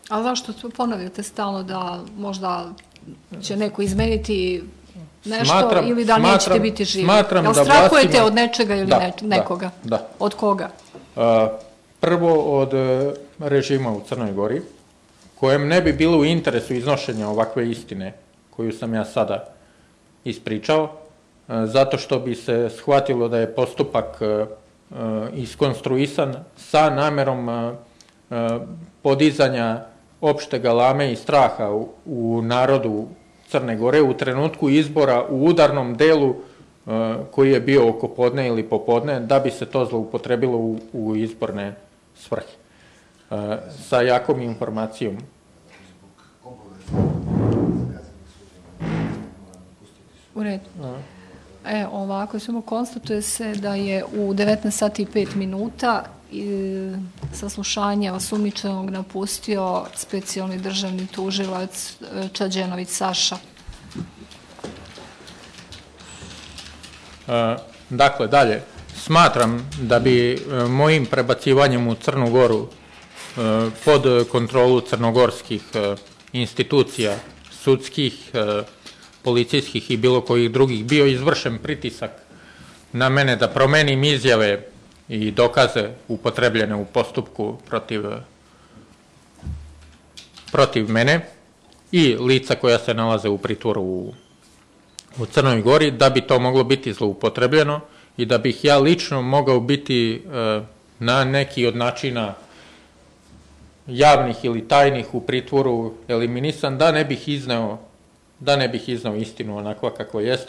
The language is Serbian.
A zašto ponavljate stalno da možda će neko izmeniti nešto ili da nećete biti živi? Jel strahujete od nečega ili nekoga? Da. Od koga? Prvo od režima u Crnoj Gori, kojem ne bi bilo u interesu iznošenja ovakve istine koju sam ja sada ispričao, zato što bi se shvatilo da je postupak iskonstruisan sa namerom podizanja opšte galame i straha u narodu Crne Gore u trenutku izbora u udarnom delu koji je bio oko podne ili popodne, da bi se to zloupotrebilo u izborne svrhe. Sa jakom informacijom. U redu. Ovako, samo konstatuje se da je u 19 sati i 5 minuta saslušanje osumnjičenog napustio specijalni državni tužilac Čađenović Saša. Dakle, dalje. Smatram da bi mojim prebacivanjem u Crnu Goru pod kontrolu crnogorskih institucija, sudskih, policijskih i bilo kojih drugih bio izvršen pritisak na mene da promenim izjave i dokaze upotrebljene u postupku protiv mene i lica koja se nalaze u pritvoru u Crnoj Gori, da bi to moglo biti zloupotrebljeno i da bih ja lično mogao biti na neki od načina javnih ili tajnih u pritvoru eliminisan, da ne bih izneo istinu onakva kako jeste.